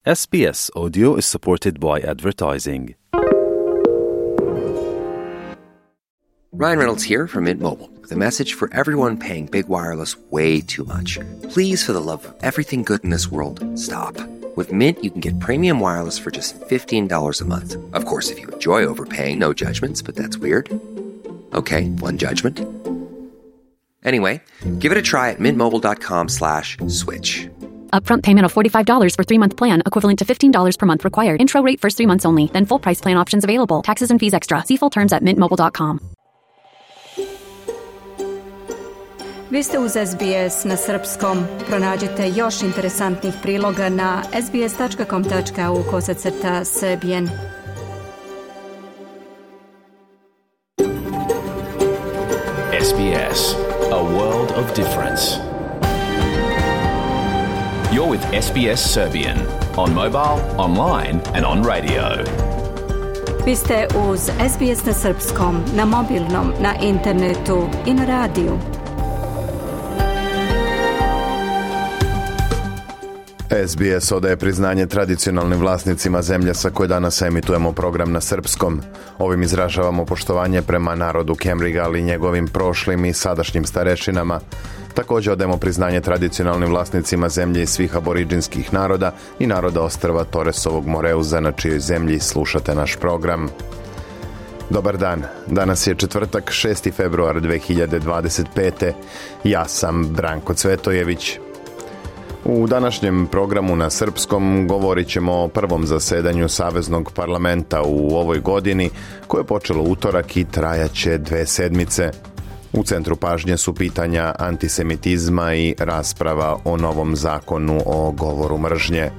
SBS Audio is supported by advertising. Ryan Reynolds here from Mint Mobile with a message for everyone paying big wireless way too much. Please, for the love of everything good in this world, stop. With Mint, you can get premium wireless for just $15 a month. Of course, if you enjoy overpaying, no judgments, but that's weird. Okay, one judgment. Anyway, give it a try at mintmobile.com/switch. Upfront payment of $45 for 3-month plan, equivalent to $15 per month required. Intro rate first 3 months only, then full price plan options available. Taxes and fees extra. See full terms at mintmobile.com. Vi ste uz SBS na srpskom. Pronađite još interesantnih priloga na sbs.com.au/serbian. SBS, a world of difference. You're with SBS Serbian on mobile, online and on radio. Vi ste uz SBS na srpskom, na mobilnom, na internetu i na radiju. SBS odaje priznanje tradicionalnim vlasnicima zemlje sa koje danas emitujemo program na srpskom. Ovim izražavamo poštovanje prema narodu Kemriga, ali i njegovim prošlim i sadašnjim starešinama. Također odajemo priznanje tradicionalnim vlasnicima zemlje i svih aboriđinskih naroda i naroda ostrva Toresovog Moreuza, na čijoj zemlji slušate naš program. Dobar dan, danas je četvrtak, 6. februar 2025. Ja sam Branko Cvetojević. U današnjem programu na srpskom govorit ćemo o prvom zasedanju Saveznog parlamenta u ovoj godini, koje je počelo utorak i trajaće 2 sedmice. U centru pažnje su pitanja antisemitizma i rasprava o novom zakonu o govoru mržnje.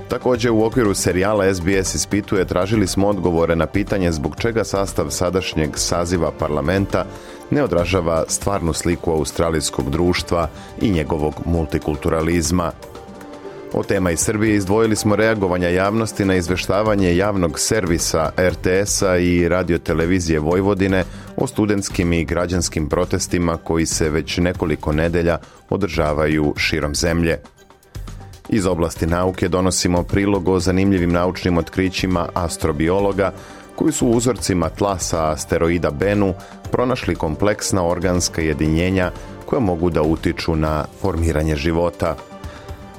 Također u okviru serijala SBS ispituje tražili smo odgovore na pitanje zbog čega sastav sadašnjeg saziva parlamenta ne odražava stvarnu sliku australijskog društva i njegovog multikulturalizma. Od tema iz Srbije izdvojili smo reagovanja javnosti na izveštavanje javnog servisa RTS-a i radiotelevizije Vojvodine o studentskim i građanskim protestima koji se već nekoliko nedelja održavaju širom zemlje. Iz oblasti nauke donosimo prilog o zanimljivim naučnim otkrićima astrobiologa koji su u uzorcima tla sa asteroida Bennu pronašli kompleksna organska jedinjenja koja mogu da utiču na formiranje života.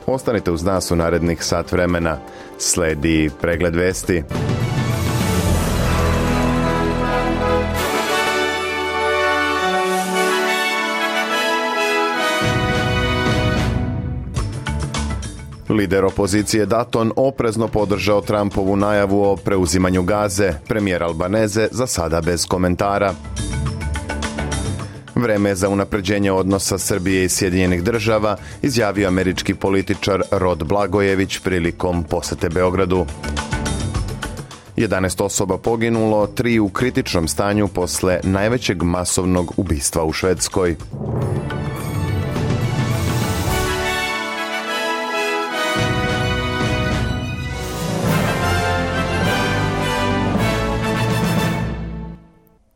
Ostanite uz nas u narednih sat vremena. Sledi pregled vesti. Lider opozicije Dutton oprezno podržao Trumpovu najavu o preuzimanju Gaze. Premijer Albanese za sada bez komentara. Vreme za unapređenje odnosa Srbije i Sjedinjenih Država, izjavio američki političar Rod Blagojević prilikom posete Beogradu. 11 osoba poginulo, 3 u kritičnom stanju posle najvećeg masovnog ubistva u Švedskoj.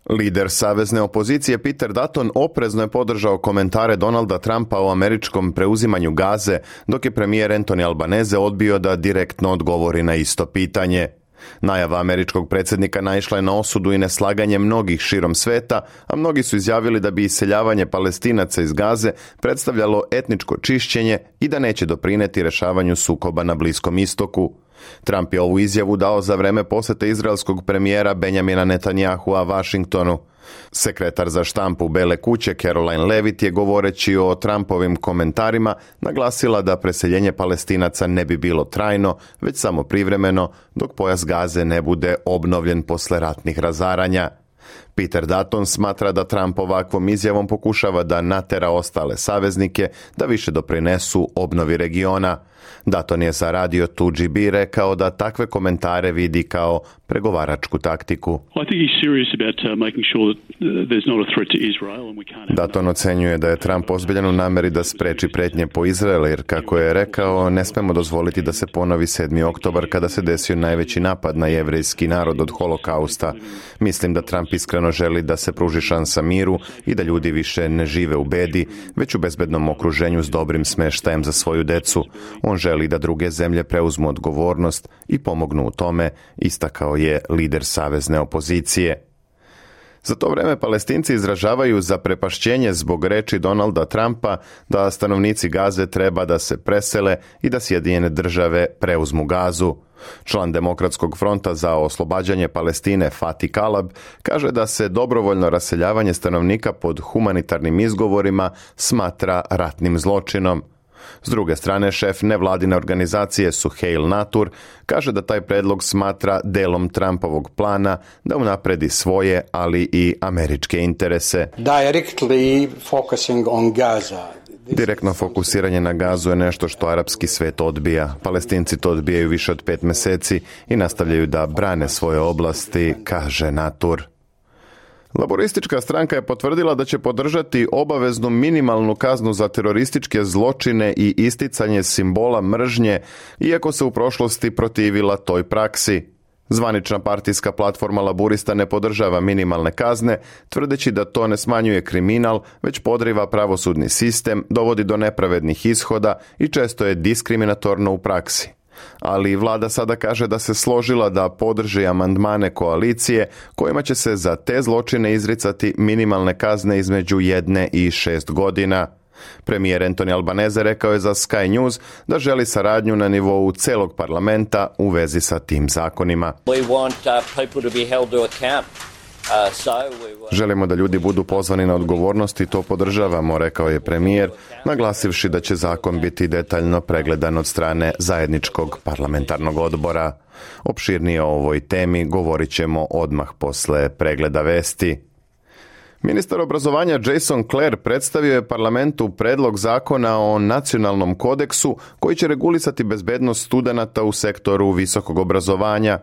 Lider savezne opozicije Peter Dutton oprezno je podržao komentare Donalda Trumpa o američkom preuzimanju Gaze, dok je premijer Anthony Albanese odbio da direktno odgovori na isto pitanje. Najava američkog predsjednika naišla je na osudu i neslaganje mnogih širom sveta, a mnogi su izjavili da bi iseljavanje Palestinaca iz Gaze predstavljalo etničko čišćenje i da neće doprineti rešavanju sukoba na Bliskom istoku. Trump je ovu izjavu dao za vreme posete izraelskog premijera Benjamina Netanyahua Vašingtonu. Sekretar za štampu Bele kuće Caroline Levitt je, govoreći o Trumpovim komentarima, naglasila da preseljenje Palestinaca ne bi bilo trajno, već samo privremeno, dok pojas Gaze ne bude obnovljen posle ratnih razaranja. Peter Dutton smatra da Trump ovakvom izjavom pokušava da natera ostale saveznike da više doprinesu obnovi regiona. Dutton je za radio 2GB rekao da takve komentare vidi kao pregovaračku taktiku. Dutton ocenjuje da je Trump ozbiljan u nameri da spreči pretnje po Izrael, jer kako je rekao, ne smemo dozvoliti da se ponovi 7. oktobar kada se desio najveći napad na jevrejski narod od holokausta. Mislim da Trump iskreno jednostavno želi da se pruži šansa miru i da ljudi više ne žive u bedi, već u bezbednom okruženju s dobrim smeštajem za svoju decu. On želi da druge zemlje preuzmu odgovornost i pomognu u tome, istakao je lider savezne opozicije. Za to vreme Palestinci izražavaju zaprepašćenje zbog reči Donalda Trumpa da stanovnici Gaze treba da se presele i da Sjedinjene države preuzmu Gazu. Član Demokratskog fronta za oslobađanje Palestine Fatih Kalab kaže da se dobrovoljno raseljavanje stanovnika pod humanitarnim izgovorima smatra ratnim zločinom. S druge strane, šef nevladine organizacije Suheil Natur kaže da taj predlog smatra delom Trumpovog plana da unapredi svoje, ali i američke interese. Direktno fokusiranje na Gazu je nešto što arapski svet odbija. Palestinci to odbijaju više od 5 meseci i nastavljaju da brane svoje oblasti, kaže Natur. Laboristička stranka je potvrdila da će podržati obaveznu minimalnu kaznu za terorističke zločine i isticanje simbola mržnje, iako se u prošlosti protivila toj praksi. Zvanična partijska platforma laburista ne podržava minimalne kazne, tvrdeći da to ne smanjuje kriminal, već podriva pravosudni sistem, dovodi do nepravednih ishoda i često je diskriminatorno u praksi. Ali vlada sada kaže da se složila da podrži amandmane koalicije kojima će se za te zločine izricati minimalne kazne između 1 i 6 godina. Premijer Anthony Albanese rekao je za Sky News da želi saradnju na nivou celog parlamenta u vezi sa tim zakonima. Želimo da ljudi budu pozvani na odgovornost i to podržavamo, rekao je premijer, naglasivši da će zakon biti detaljno pregledan od strane zajedničkog parlamentarnog odbora. Opširnije o ovoj temi govorit ćemo odmah posle pregleda vesti. Ministar obrazovanja Jason Clare predstavio je parlamentu predlog zakona o nacionalnom kodeksu koji će regulisati bezbednost studenata u sektoru visokog obrazovanja.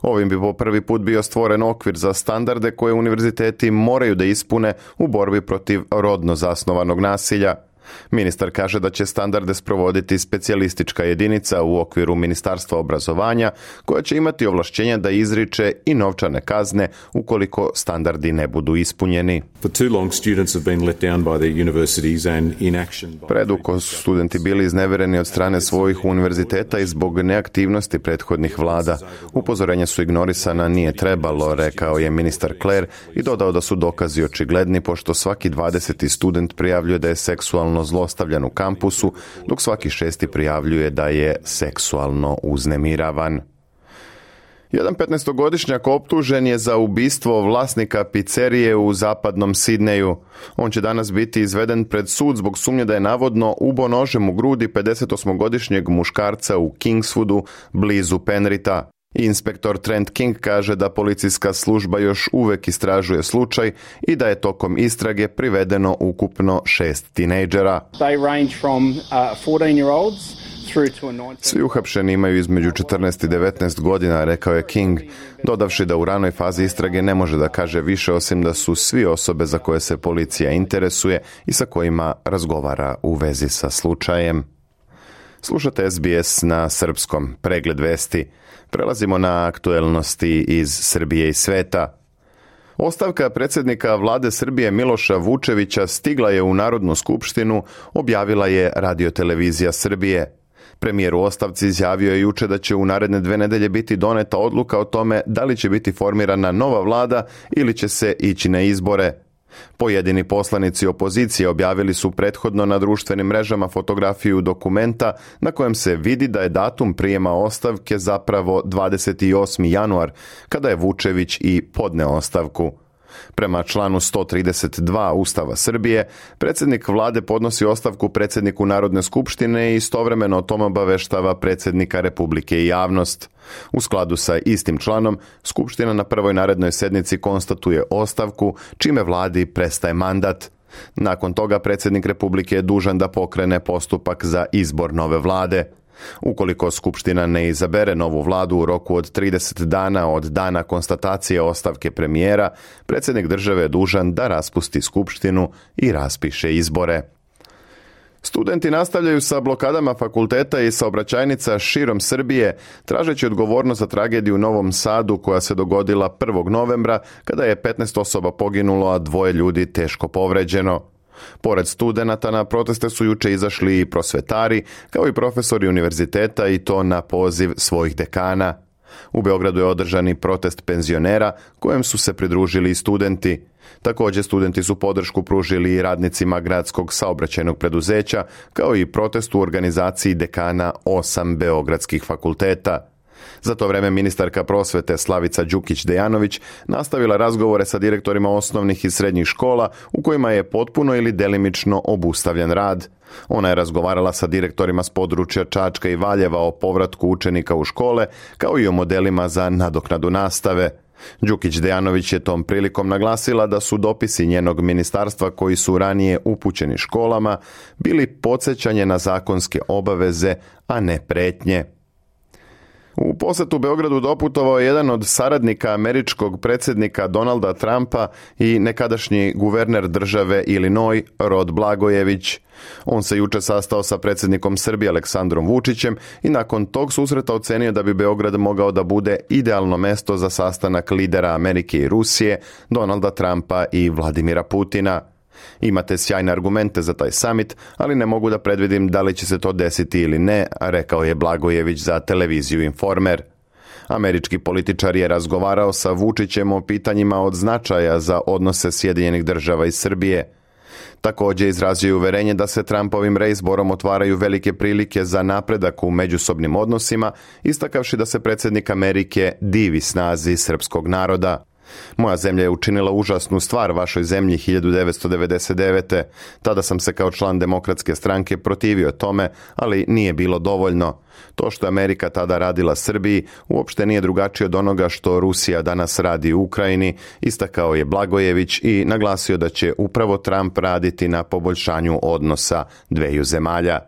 Ovim bi po prvi put bio stvoren okvir za standarde koje univerziteti moraju da ispune u borbi protiv rodno zasnovanog nasilja. Ministar kaže da će standarde sprovoditi specijalistička jedinica u okviru Ministarstva obrazovanja koja će imati ovlašćenja da izriče i novčane kazne ukoliko standardi ne budu ispunjeni. Predugo su studenti bili iznevereni od strane svojih univerziteta i zbog neaktivnosti prethodnih vlada. Upozorenja su ignorisana, nije trebalo, rekao je ministar Clare i dodao da su dokazi očigledni pošto svaki 20. student prijavljuje da je seksualno zlostavljan u kampusu, dok svaki 6. prijavljuje da je seksualno uznemiravan. Jedan 15-godišnjak optužen je za ubistvo vlasnika pizzerije u zapadnom Sidneju. On će danas biti izveden pred sud zbog sumnje da je navodno ubio nožem u grudi 58-godišnjeg muškarca u Kingswoodu, blizu Penritha. Inspektor Trent King kaže da policijska služba još uvek istražuje slučaj i da je tokom istrage privedeno ukupno 6 tinejdžera. Svi uhapšeni imaju između 14 i 19 godina, rekao je King, dodavši da u ranoj fazi istrage ne može da kaže više osim da su svi osobe za koje se policija interesuje i sa kojima razgovara u vezi sa slučajem. Slušate SBS na srpskom, pregled vesti. Prelazimo na aktuelnosti iz Srbije i sveta. Ostavka predsjednika vlade Srbije Miloša Vučevića stigla je u Narodnu skupštinu, objavila je Radio-televizija Srbije. Premijer u ostavci izjavio je juče da će u naredne 2 nedelje biti doneta odluka o tome da li će biti formirana nova vlada ili će se ići na izbore. Pojedini poslanici opozicije objavili su prethodno na društvenim mrežama fotografiju dokumenta na kojem se vidi da je datum prijema ostavke zapravo 28. januar, kada je Vučević i podneo ostavku. Prema članu 132 Ustava Srbije, predsjednik vlade podnosi ostavku predsjedniku Narodne skupštine i istovremeno o tome obaveštava predsjednika Republike i javnost. U skladu sa istim članom, Skupština na prvoj narednoj sednici konstatuje ostavku, čime vladi prestaje mandat. Nakon toga predsjednik Republike je dužan da pokrene postupak za izbor nove vlade. Ukoliko Skupština ne izabere novu vladu u roku od 30 dana od dana konstatacije ostavke premijera, predsjednik države je dužan da raspusti Skupštinu i raspiše izbore. Studenti nastavljaju sa blokadama fakulteta i saobraćajnica širom Srbije, tražeći odgovornost za tragediju u Novom Sadu koja se dogodila 1. novembra kada je 15 osoba poginulo, a 2 ljudi teško povređeno. Pored studenata na proteste su juče izašli i prosvetari, kao i profesori univerziteta, i to na poziv svojih dekana. U Beogradu je održan i protest penzionera kojem su se pridružili i studenti. Također studenti su podršku pružili i radnicima gradskog saobraćajnog preduzeća, kao i protest u organizaciji dekana 8 beogradskih fakulteta. Za to vreme ministarka prosvete Slavica Đukić-Dejanović nastavila razgovore sa direktorima osnovnih i srednjih škola u kojima je potpuno ili delimično obustavljen rad. Ona je razgovarala sa direktorima s područja Čačka i Valjeva o povratku učenika u škole, kao i o modelima za nadoknadu nastave. Đukić-Dejanović je tom prilikom naglasila da su dopisi njenog ministarstva koji su ranije upućeni školama bili podsjećanje na zakonske obaveze, a ne pretnje. U posjetu Beogradu doputovao je jedan od saradnika američkog predsjednika Donalda Trumpa i nekadašnji guverner države Illinois, Rod Blagojević. On se juče sastao sa predsjednikom Srbije Aleksandrom Vučićem i nakon tog susreta ocenio da bi Beograd mogao da bude idealno mesto za sastanak lidera Amerike i Rusije, Donalda Trumpa i Vladimira Putina. Imate sjajne argumente za taj summit, ali ne mogu da predvidim da li će se to desiti ili ne, rekao je Blagojević za televiziju Informer. Američki političar je razgovarao sa Vučićem o pitanjima od značaja za odnose Sjedinjenih Država i Srbije. Također izrazio je uverenje da se Trumpovim reizborom otvaraju velike prilike za napredak u međusobnim odnosima, istakavši da se predsjednik Amerike divi snazi srpskog naroda. Moja zemlja je učinila užasnu stvar vašoj zemlji 1999. Tada sam se kao član Demokratske stranke protivio tome, ali nije bilo dovoljno. To što je Amerika tada radila Srbiji uopšte nije drugačije od onoga što Rusija danas radi u Ukrajini, istakao je Blagojević i naglasio da će upravo Trump raditi na poboljšanju odnosa dveju zemalja.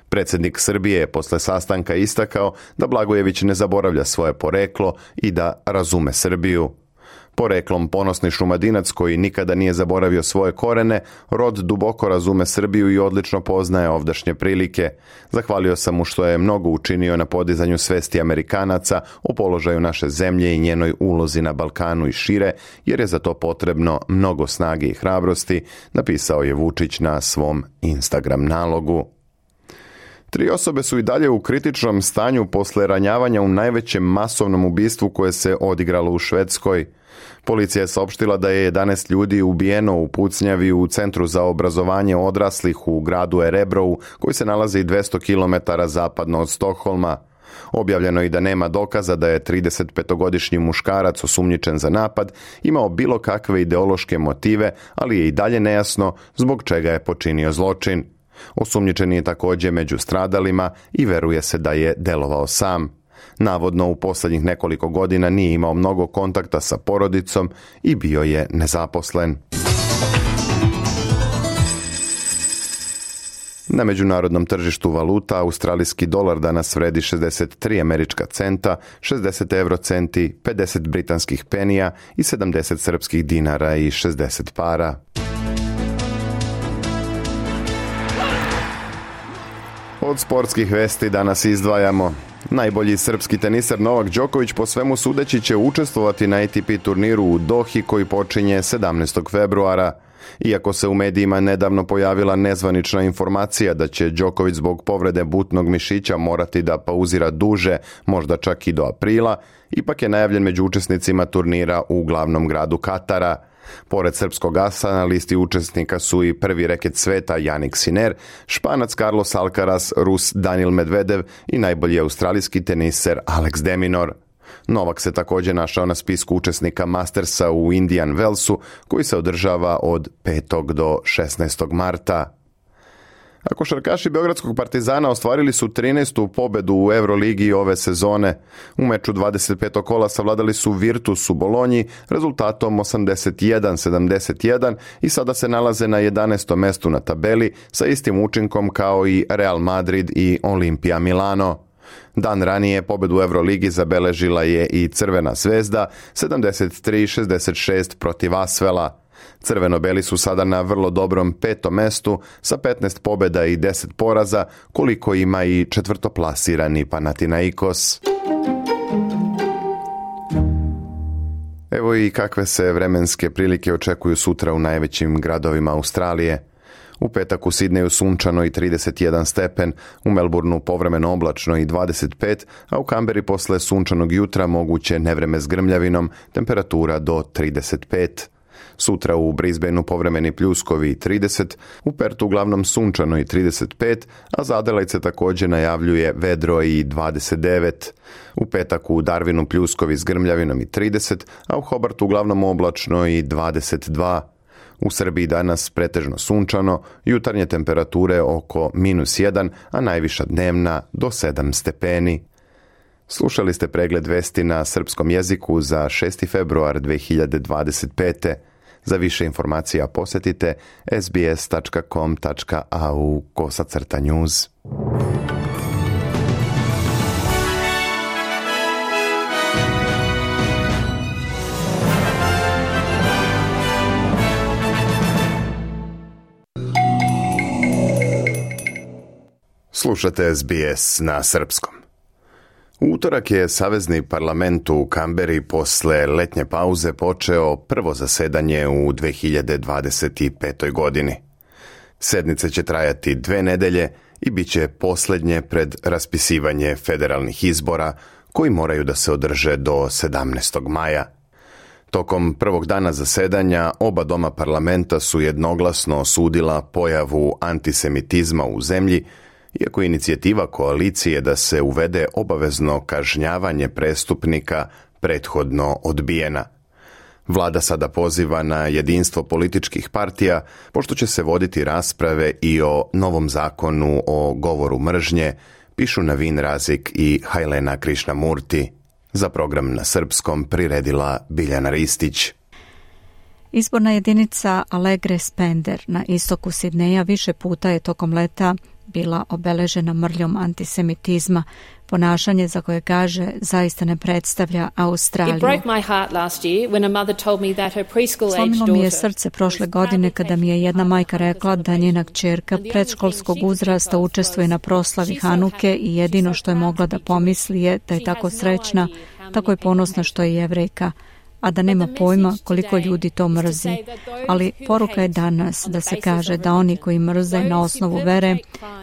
Predsjednik Srbije je posle sastanka istakao da Blagojević ne zaboravlja svoje poreklo i da razume Srbiju. Poreklom ponosni Šumadinac koji nikada nije zaboravio svoje korene, Rod duboko razume Srbiju i odlično poznaje ovdašnje prilike. Zahvalio sam mu što je mnogo učinio na podizanju svesti Amerikanaca o položaju naše zemlje i njenoj ulozi na Balkanu i šire, jer je za to potrebno mnogo snage i hrabrosti, napisao je Vučić na svom Instagram nalogu. 3 osobe su i dalje u kritičnom stanju posle ranjavanja u najvećem masovnom ubistvu koje se odigralo u Švedskoj. Policija je saopštila da je 11 ljudi ubijeno u pucnjavi u Centru za obrazovanje odraslih u gradu Erebrovu, koji se nalazi 200 km zapadno od Stokholma. Objavljeno je i da nema dokaza da je 35-godišnji muškarac osumnjičen za napad imao bilo kakve ideološke motive, ali je i dalje nejasno zbog čega je počinio zločin. Osumnjičen je također među stradalima i veruje se da je delovao sam. Navodno u posljednjih nekoliko godina nije imao mnogo kontakta sa porodicom i bio je nezaposlen. Na međunarodnom tržištu valuta australijski dolar danas vredi 63 američka centa, 60 eurocenti, 50 britanskih penija i 70 srpskih dinara i 60 para. Od sportskih vesti danas izdvajamo: najbolji srpski teniser Novak Đoković po svemu sudeći će učestvovati na ATP turniru u Dohi koji počinje 17. februara. Iako se u medijima nedavno pojavila nezvanična informacija da će Đoković zbog povrede butnog mišića morati da pauzira duže, možda čak i do aprila, ipak je najavljen među učesnicima turnira u glavnom gradu Katara. Pored srpskog asa na listi učesnika su i prvi reket sveta Jannik Sinner, Španac Carlos Alcaraz, Rus Daniil Medvedev i najbolji australijski teniser Alex de Minaur. Novak se također našao na spisku učesnika Mastersa u Indian Wellsu koji se održava od 5. do 16. marta. A košarkaši Beogradskog Partizana ostvarili su 13. pobedu u Euroligi ove sezone. U meču 25. kola savladali su Virtus u Bolonji rezultatom 81-71 i sada se nalaze na 11. mestu na tabeli sa istim učinkom kao i Real Madrid i Olimpija Milano. Dan ranije pobedu u Euroligi zabeležila je i Crvena zvezda 73-66 protiv Asvela. Crveno-beli su sada na vrlo dobrom 5. mestu sa 15 pobjeda i 10 poraza, koliko ima i četvrtoplasirani Panathinaikos. Evo i kakve se vremenske prilike očekuju sutra u najvećim gradovima Australije. U petak u Sidneju sunčano i 31 stepen, u Melbourneu povremeno oblačno i 25, a u Kamberi posle sunčanog jutra moguće nevreme s grmljavinom, temperatura do 35. Sutra u Brisbaneu povremeni pljuskovi i 30, u Pertu uglavnom sunčano i 35, a za Adelaide se također najavljuje vedro i 29. U petak u Darwinu pljuskovi s grmljavinom i 30, a u Hobartu uglavnom oblačno i 22. U Srbiji danas pretežno sunčano, jutarnje temperature oko -1, a najviša dnevna do 7 stepeni. Slušali ste pregled vesti na srpskom jeziku za 6. februar 2025. Za više informacija posjetite sbs.com.au/news. Slušate SBS na srpskom. U utorak je Savezni parlament u Kamberi posle letnje pauze počeo prvo zasedanje u 2025. godini. Sednice će trajati 2 nedelje i bit će posljednje pred raspisivanje federalnih izbora koji moraju da se održe do 17. maja. Tokom prvog dana zasedanja oba doma parlamenta su jednoglasno osudila pojavu antisemitizma u zemlji, iako je inicijativa koalicije da se uvede obavezno kažnjavanje prestupnika prethodno odbijena. Vlada sada poziva na jedinstvo političkih partija, pošto će se voditi rasprave i o novom zakonu o govoru mržnje, pišu Navin Razik i Hajlena Krišnamurti. Za program na srpskom priredila Biljana Ristić. Izborna jedinica Alegre Spender na istoku Sidneja više puta je tokom leta bila obeležena mrljom antisemitizma, ponašanje za koje kaže zaista ne predstavlja Australiju. Slomilo mi je srce prošle godine kada mi je jedna majka rekla da njena kćerka predškolskog uzrasta učestvuje na proslavi Hanuke i jedino što je mogla da pomisli je da je tako srećna, tako je ponosna što je Jevrejka, a da nema pojma koliko ljudi to mrzi. Ali poruka je danas da se kaže da oni koji mrze na osnovu vere,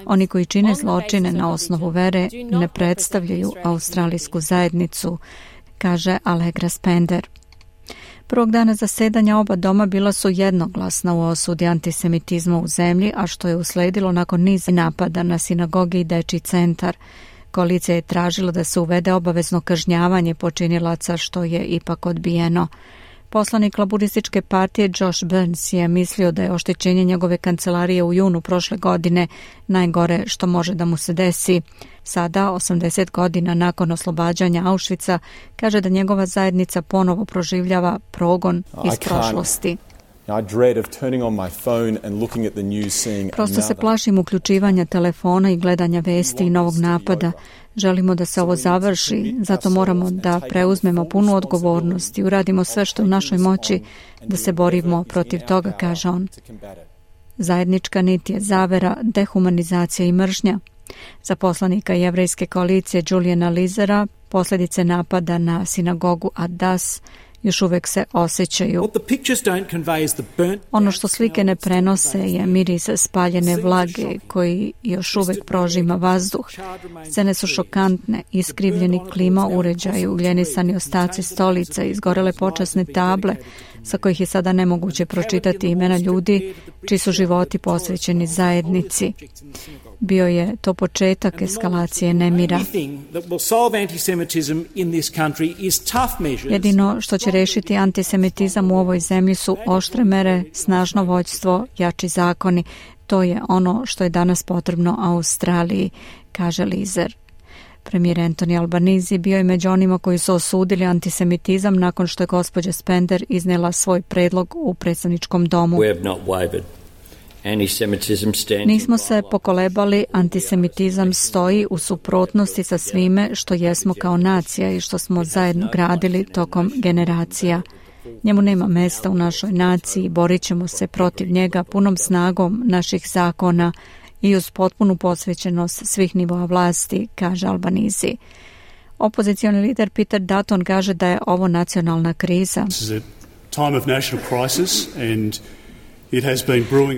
oni koji čine zločine na osnovu vere, ne predstavljaju australijsku zajednicu, kaže Allegra Spender. Prvog dana zasedanja oba doma bila su jednoglasna u osudi antisemitizma u zemlji, a što je usledilo nakon niza napada na sinagoge i dečji centar. Koalicija je tražila da se uvede obavezno kažnjavanje počinilaca, što je ipak odbijeno. Poslanik Laburističke partije Josh Burns je mislio da je oštećenje njegove kancelarije u junu prošle godine najgore što može da mu se desi. Sada, 80 godina nakon oslobađanja Auschwitza, kaže da njegova zajednica ponovo proživljava progon iz prošlosti. Prosto se plašim uključivanja telefona i gledanja vesti i novog napada. Želimo da se ovo završi, zato moramo da preuzmemo punu odgovornost i uradimo sve što je u našoj moći da se borimo protiv toga, kaže on. Zajednička nit je zavera, dehumanizacija i mržnja. Za poslanika Jevrejske koalicije Juliana Lizera posljedice napada na sinagogu Ad-Das još uvijek se osjećaju. Ono što slike ne prenose je miris spaljene vlage koji još uvijek prožima vazduh. Scene su šokantne, iskrivljeni klima uređaji, ugljenisani ostaci stolica, izgorele počasne table sa kojih je sada nemoguće pročitati imena ljudi čiji su životi posvećeni zajednici. Bio je to početak eskalacije nemira. Jedino što će rešiti antisemitizam u ovoj zemlji su oštre mere, snažno vođstvo, jači zakoni. To je ono što je danas potrebno Australiji, kaže Lizer. Premijer Anthony Albanese bio je među onima koji su osudili antisemitizam nakon što je gospođa Spender iznela svoj predlog u predstavničkom domu. Nismo se pokolebali, antisemitizam stoji u suprotnosti sa svime što jesmo kao nacija i što smo zajedno gradili tokom generacija. Njemu nema mesta u našoj naciji, borit ćemo se protiv njega punom snagom naših zakona i uz potpunu posvećenost svih nivoa vlasti, kaže Albanizi. Opozicioni lider Peter Dutton kaže da je ovo nacionalna kriza.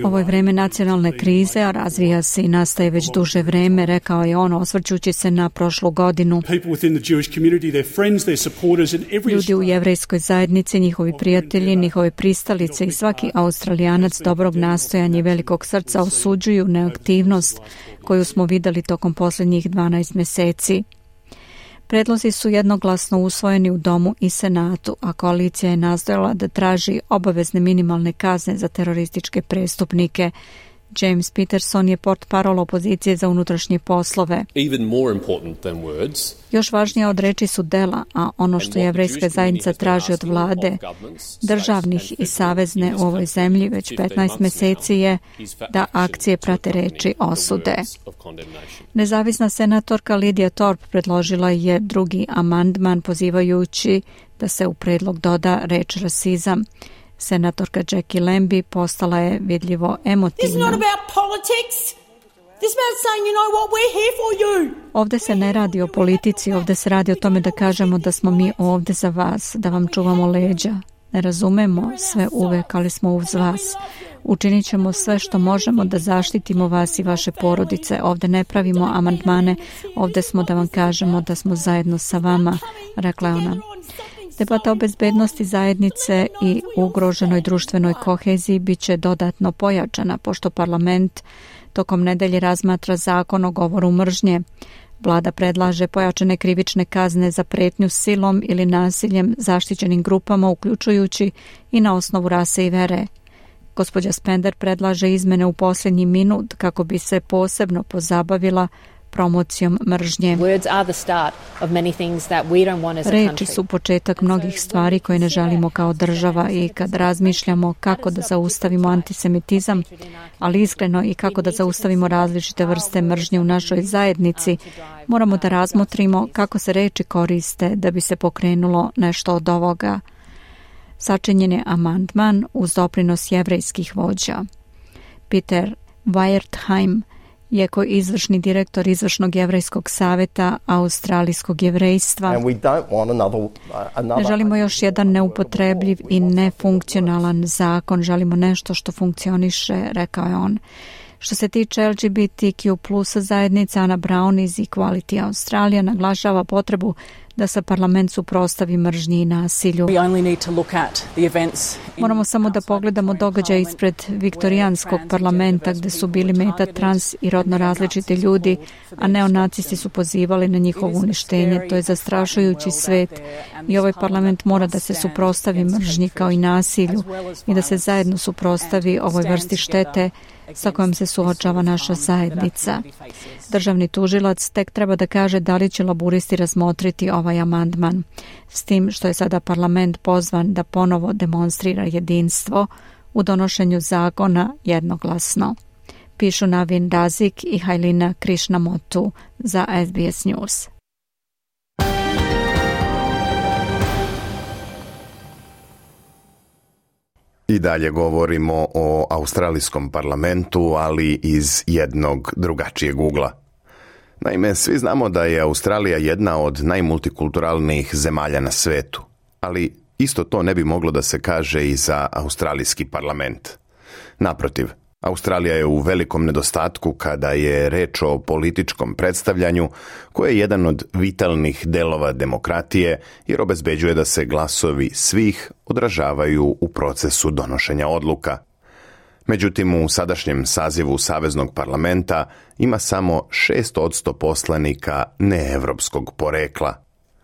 Ovo je vreme nacionalne krize, a razvija se i nastaje već duže vreme, rekao je on, osvrćući se na prošlu godinu. Ljudi u jevrejskoj zajednici, njihovi prijatelji, njihove pristalice i svaki Australijanac dobrog nastojanja i velikog srca osuđuju neaktivnost koju smo vidjeli tokom posljednjih 12 mjeseci. Predlozi su jednoglasno usvojeni u Domu i Senatu, a koalicija je nastojala da traži obavezne minimalne kazne za terorističke prestupnike. James Peterson je portparol opozicije za unutrašnje poslove. Još važnije od reči su dela, a ono što jevrejska zajednica traži od vlade, državnih i savezne u ovoj zemlji već 15 mjeseci je da akcije prate reči osude. Nezavisna senatorka Lydia Thorpe predložila je drugi amandman pozivajući da se u predlog doda reč rasizam. Senatorka Jackie Lambie postala je vidljivo emotivna. Ovdje se ne radi o politici, ovdje se radi o tome da kažemo da smo mi ovdje za vas, da vam čuvamo leđa. Ne razumemo sve uvek, ali smo uz vas. Učinit ćemo sve što možemo da zaštitimo vas i vaše porodice. Ovdje ne pravimo amandmane, ovdje smo da vam kažemo da smo zajedno sa vama, rekla je ona. Debata o bezbednosti zajednice i ugroženoj društvenoj koheziji bit će dodatno pojačana, pošto parlament tokom nedelje razmatra zakon o govoru mržnje. Vlada predlaže pojačane krivične kazne za pretnju silom ili nasiljem zaštićenim grupama, uključujući i na osnovu rase i vere. Gospođa Spender predlaže izmene u posljednji minut kako bi se posebno pozabavila promocijom mržnje. Reči su početak mnogih stvari koje ne želimo kao država i kad razmišljamo kako da zaustavimo antisemitizam, ali iskreno i kako da zaustavimo različite vrste mržnje u našoj zajednici, moramo da razmotrimo kako se reči koriste da bi se pokrenulo nešto od ovoga. Sačinjen je amandman uz doprinos jevrejskih vođa. Peter Weiertheim je izvršni direktor Izvršnog jevrejskog saveta Australijskog jevrejstva. Ne želimo još jedan neupotrebljiv i nefunkcionalan zakon, želimo nešto što funkcioniše, rekao je on. Što se tiče LGBTQ plus zajednica, Anna Brown iz Equality Australia naglašava potrebu da se parlament suprotstavi mržnji i nasilju. Moramo samo da pogledamo događaj ispred viktorijanskog parlamenta gdje su bili meta trans i rodno različiti ljudi, a neonacisti su pozivali na njihovo uništenje. To je zastrašujući svet i ovaj parlament mora da se suprotstavi mržnji kao i nasilju i da se zajedno suprotstavi ovoj vrsti štete sa kojom se suočava naša zajednica. Državni tužilac tek treba da kaže da li će laburisti razmotriti ovaj amandman, s tim što je sada parlament pozvan da ponovo demonstrira jedinstvo u donošenju zakona jednoglasno. Pišu Navin Razik i Hailina Krishnamotu za SBS News. I dalje govorimo o australijskom parlamentu, ali iz jednog drugačijeg ugla. Naime, svi znamo da je Australija jedna od najmultikulturalnijih zemalja na svetu, ali isto to ne bi moglo da se kaže i za australijski parlament. Naprotiv, Australija je u velikom nedostatku kada je reč o političkom predstavljanju, koje je jedan od vitalnih delova demokratije, jer obezbeđuje da se glasovi svih odražavaju u procesu donošenja odluka. Međutim, u sadašnjem sazivu Saveznog parlamenta ima samo 6% poslanika neevropskog porekla.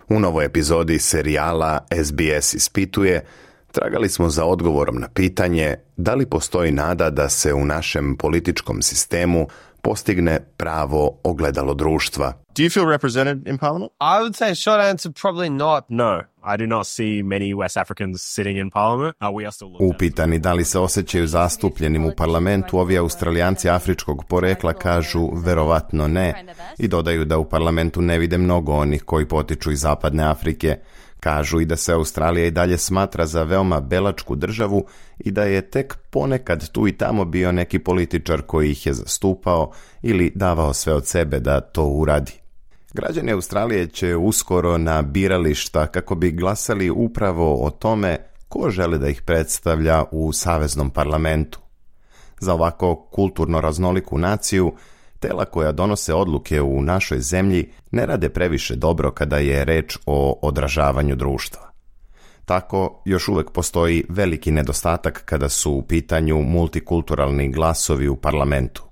U novoj epizodi serijala SBS ispituje tragali smo za odgovorom na pitanje da li postoji nada da se u našem političkom sistemu postigne pravo ogledalo društva. Do you feel represented in parliament? I would say short answer, probably not. No, I do not see many West Africans sitting in parliament. We are still Upitani da li se osjećaju zastupljenim u parlamentu, ovi Australijanci afričkog porekla kažu verovatno ne i dodaju da u parlamentu ne vide mnogo onih koji potiču iz zapadne Afrike. Kažu i da se Australija i dalje smatra za veoma belačku državu i da je tek ponekad tu i tamo bio neki političar koji ih je zastupao ili davao sve od sebe da to uradi. Građani Australije će uskoro na birališta kako bi glasali upravo o tome ko žele da ih predstavlja u saveznom parlamentu. Za ovako kulturno raznoliku naciju, tela koja donose odluke u našoj zemlji ne rade previše dobro kada je reč o odražavanju društva. Tako još uvek postoji veliki nedostatak kada su u pitanju multikulturalni glasovi u parlamentu.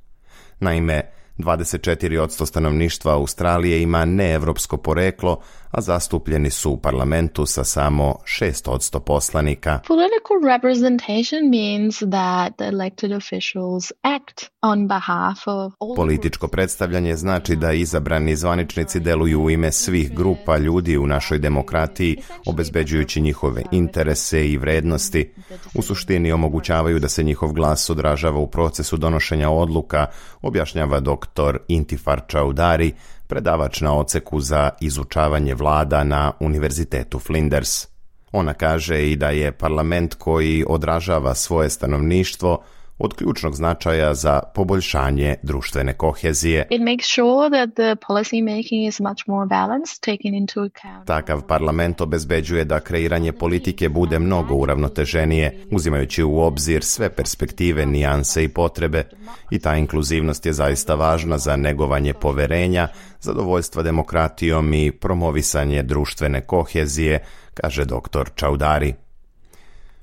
Naime, 24% stanovništva Australije ima neevropsko poreklo, a zastupljeni su u parlamentu sa samo 6% poslanika. Political representation means that the elected officials act on behalf of all. Političko predstavljanje znači da izabrani zvaničnici deluju u ime svih grupa ljudi u našoj demokratiji, obezbeđujući njihove interese i vrednosti. U suštini omogućavaju da se njihov glas odražava u procesu donošenja odluka, objašnjava dr. Intifar Chaudhary, predavač na odseku za izučavanje vlada na Univerzitetu Flinders. Ona kaže i da je parlament koji odražava svoje stanovništvo od ključnog značaja za poboljšanje društvene kohezije. It makes sure that the policy making is much more balanced, taking into account. Takav parlament obezbeđuje da kreiranje politike bude mnogo uravnoteženije, uzimajući u obzir sve perspektive, nijanse i potrebe. I ta inkluzivnost je zaista važna za negovanje poverenja, zadovoljstva demokratijom i promovisanje društvene kohezije, kaže dr. Chaudhary.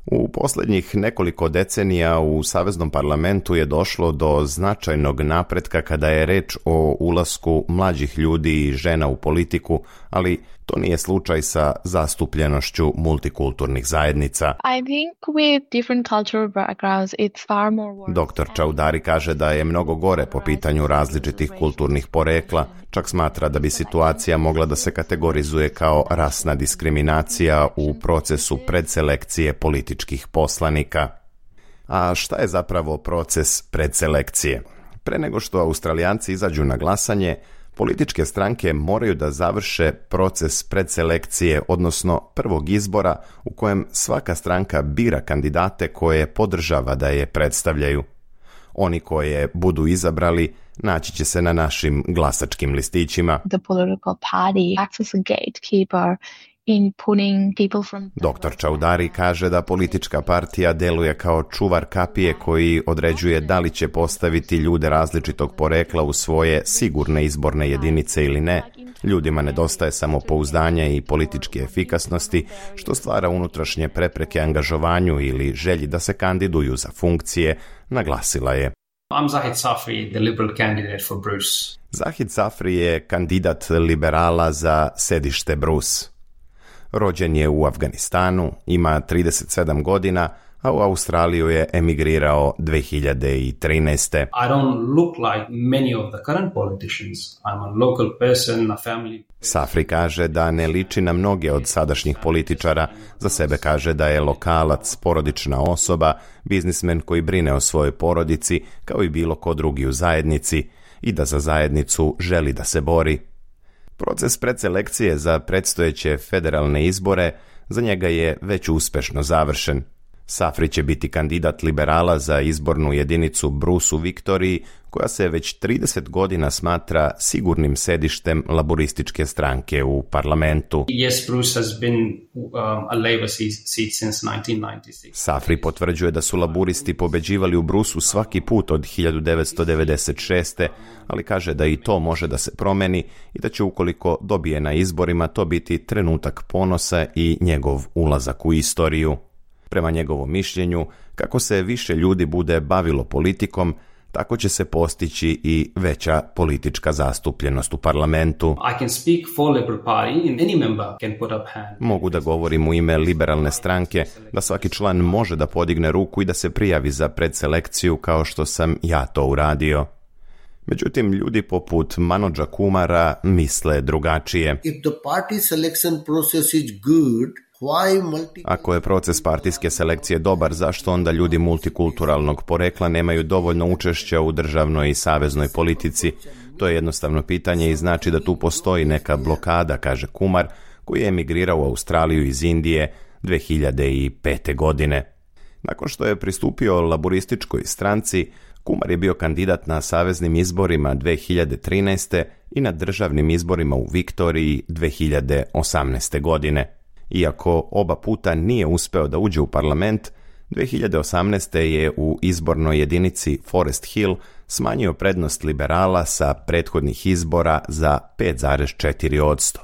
U posljednjih nekoliko decenija u Saveznom parlamentu je došlo do značajnog napretka kada je reč o ulasku mlađih ljudi i žena u politiku, ali to nije slučaj sa zastupljenošću multikulturnih zajednica. I think with different cultural backgrounds it's far more worse. Dr. Chaudhary kaže da je mnogo gore po pitanju različitih kulturnih porekla, čak smatra da bi situacija mogla da se kategorizuje kao rasna diskriminacija u procesu predselekcije političkih poslanika. A šta je zapravo proces predselekcije? Pre nego što Australijanci izađu na glasanje, političke stranke moraju da završe proces predselekcije, odnosno prvog izbora u kojem svaka stranka bira kandidate koje podržava da je predstavljaju. Oni koje budu izabrali naći će se na našim glasačkim listićima. The political party acts as a gatekeeper in putting people from... Dr. Chaudhary kaže da politička partija deluje kao čuvar kapije koji određuje da li će postaviti ljude različitog porekla u svoje sigurne izborne jedinice ili ne. Ljudima nedostaje samopouzdanja i političke efikasnosti, što stvara unutrašnje prepreke angažovanju ili želji da se kandiduju za funkcije, naglasila je. I'm Zahid Safri, the Liberal candidate for Bruce. Zahid Safri je kandidat liberala za sedište Bruce. Rođen je u Afganistanu, ima 37 godina, a u Australiju je emigrirao 2013. I don't look like many of the current politicians. I'm a local person, a family. Safri kaže da ne liči na mnoge od sadašnjih političara. Za sebe kaže da je lokalac, porodična osoba, biznismen koji brine o svojoj porodici, kao i bilo ko drugi u zajednici, i da za zajednicu želi da se bori. Proces predselekcije za predstojeće federalne izbore za njega je već uspešno završen. Safri će biti kandidat liberala za izbornu jedinicu Bruce u Viktoriji, koja se već 30 godina smatra sigurnim sedištem laborističke stranke u parlamentu. Yes, Bruce has been a Labour seat since 1996. Safri potvrđuje da su laburisti pobeđivali u Bruceu svaki put od 1996. ali kaže da i to može da se promeni i da će ukoliko dobije na izborima to biti trenutak ponosa i njegov ulazak u istoriju. Prema njegovom mišljenju, kako se više ljudi bude bavilo politikom, tako će se postići i veća politička zastupljenost u parlamentu. I can speak for Liberal Party and any member can put up hand. Mogu da govorim u ime liberalne stranke, da svaki član može da podigne ruku i da se prijavi za predselekciju kao što sam ja to uradio. Međutim, ljudi poput Manodža Kumara misle drugačije. Ako je proces partijske selekcije dobar, zašto onda ljudi multikulturalnog porekla nemaju dovoljno učešća u državnoj i saveznoj politici? To je jednostavno pitanje i znači da tu postoji neka blokada, kaže Kumar, koji je emigrirao u Australiju iz Indije 2005. godine. Nakon što je pristupio laburističkoj stranci, Kumar je bio kandidat na saveznim izborima 2013. i na državnim izborima u Viktoriji 2018. godine. Iako oba puta nije uspeo da uđe u parlament, 2018. je u izbornoj jedinici Forest Hill smanjio prednost liberala sa prethodnih izbora za 5,4%.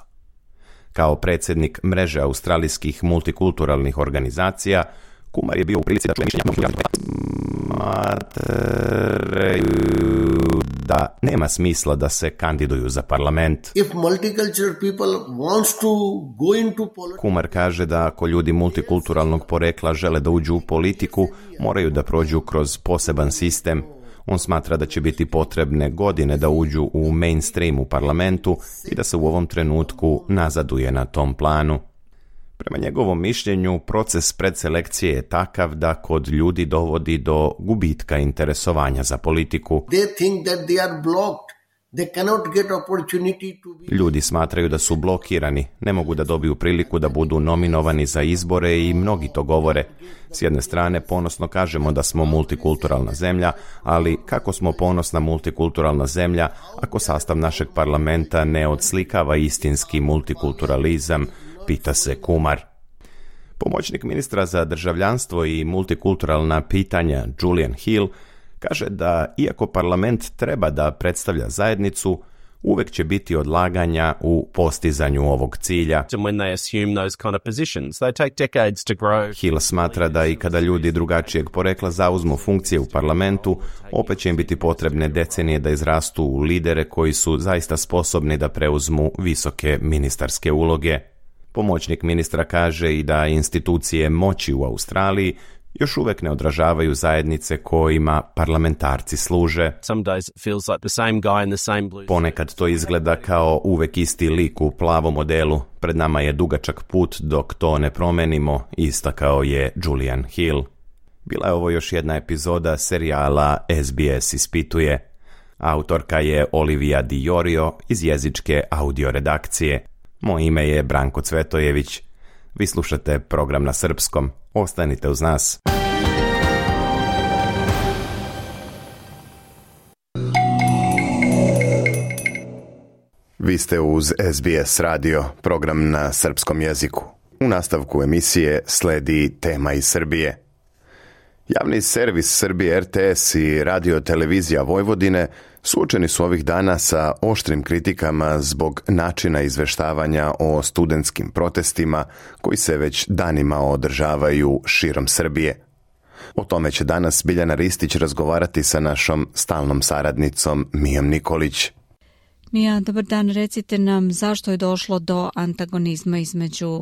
Kao predsjednik mreže australijskih multikulturalnih organizacija, Kumar je bio u prilici da čuje mišljenja da nema smisla da se kandiduju za parlament. Kumar kaže da ako ljudi multikulturalnog porekla žele da uđu u politiku, moraju da prođu kroz poseban sistem. On smatra da će biti potrebne godine da uđu u mainstream u parlamentu i da se u ovom trenutku nazaduje na tom planu. Prema njegovom mišljenju, proces predselekcije je takav da kod ljudi dovodi do gubitka interesovanja za politiku. Ljudi smatraju da su blokirani, ne mogu da dobiju priliku da budu nominovani za izbore i mnogi to govore. S jedne strane, ponosno kažemo da smo multikulturalna zemlja, ali kako smo ponosna multikulturalna zemlja ako sastav našeg parlamenta ne odslikava istinski multikulturalizam, pita se Kumar. Pomoćnik ministra za državljanstvo i multikulturalna pitanja Julian Hill kaže da iako parlament treba da predstavlja zajednicu, uvek će biti odlaganja u postizanju ovog cilja. Hill smatra da i kada ljudi drugačijeg porekla zauzmu funkcije u parlamentu, opet će im biti potrebne decenije da izrastu u lidere koji su zaista sposobni da preuzmu visoke ministarske uloge. Pomoćnik ministra kaže i da institucije moći u Australiji još uvek ne odražavaju zajednice kojima parlamentarci služe. Ponekad to izgleda kao uvek isti lik u plavom modelu. Pred nama je dugačak put dok to ne promenimo, istakao je Julian Hill. Bila je ovo još jedna epizoda serijala SBS ispituje. Autorka je Olivia Di Iorio iz jezičke audio redakcije. Moje ime je Branko Cvetojević. Vi slušate program na srpskom. Ostanite uz nas. Vi ste uz SBS radio, program na srpskom jeziku. U nastavku emisije sledi tema iz Srbije. Javni servis Srbije RTS i Radio televizija Vojvodine suočeni su ovih dana sa oštrim kritikama zbog načina izveštavanja o studentskim protestima koji se već danima održavaju širom Srbije. O tome će danas Biljana Ristić razgovarati sa našom stalnom saradnicom Mijom Nikolić. Mija, dobar dan, recite nam zašto je došlo do antagonizma između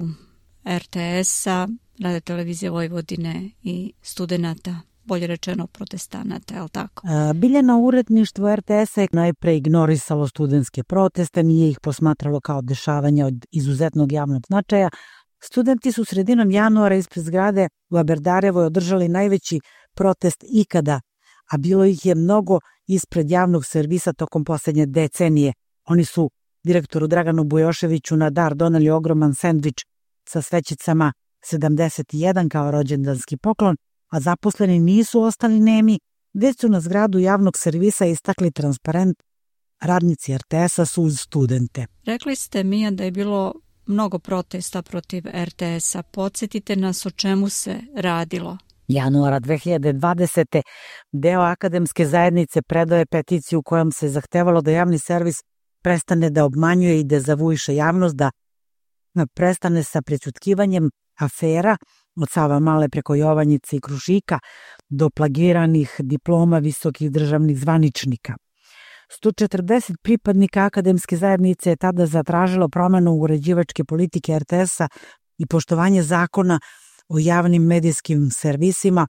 RTS-a, Radio televizije Vojvodine i studenata, bolje rečeno protestanata, je li tako? Biljana, uredništvo RTS-a je najpre ignorisalo studentske proteste, nije ih posmatralo kao dešavanja od izuzetnog javnog značaja. Studenti su sredinom januara ispred zgrade u Aberdarevoj održali najveći protest ikada, a bilo ih je mnogo ispred javnog servisa tokom posljednje decenije. Oni su direktoru Draganu Bujoševiću na dar doneli ogroman sendvič sa svećicama 71 kao rođendanski poklon, a zaposleni nisu ostali nemi, već su na zgradu javnog servisa istakli transparent radnici RTS-a su uz studente. Rekli ste, Mija, da je bilo mnogo protesta protiv RTS-a. Podsjetite nas o čemu se radilo. Januara 2020. deo akademske zajednice predao je peticiju kojom se zahtevalo da javni servis prestane da obmanjuje i dezavuiše javnost, da prestane sa prećutkivanjem afera od Savamale preko Jovanjice i Krušika do plagiranih diploma visokih državnih zvaničnika. 140 pripadnika akademske zajednice je tada zatražilo promenu uređivačke politike RTS-a i poštovanje zakona o javnim medijskim servisima,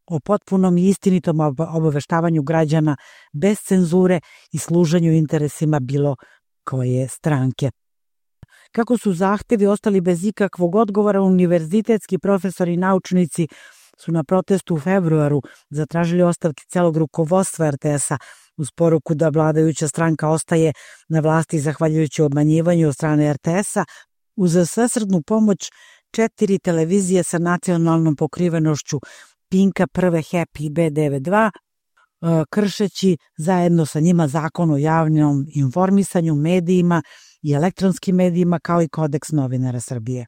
o potpunom i istinitom obaveštavanju građana bez cenzure i služenju interesima bilo koje stranke. Kako su zahtevi ostali bez ikakvog odgovora, univerzitetski profesori i naučnici su na protestu u februaru zatražili ostavke celog rukovodstva RTS-a uz poruku da vladajuća stranka ostaje na vlasti zahvaljujući obmanjivanju od strane RTS-a uz svesrdnu pomoć 4 televizije sa nacionalnom pokrivenošću Pinka, Prve, Happy i B92, kršeći zajedno sa njima zakon o javnom informisanju, medijima i elektronskim medijima kao i kodeks novinara Srbije.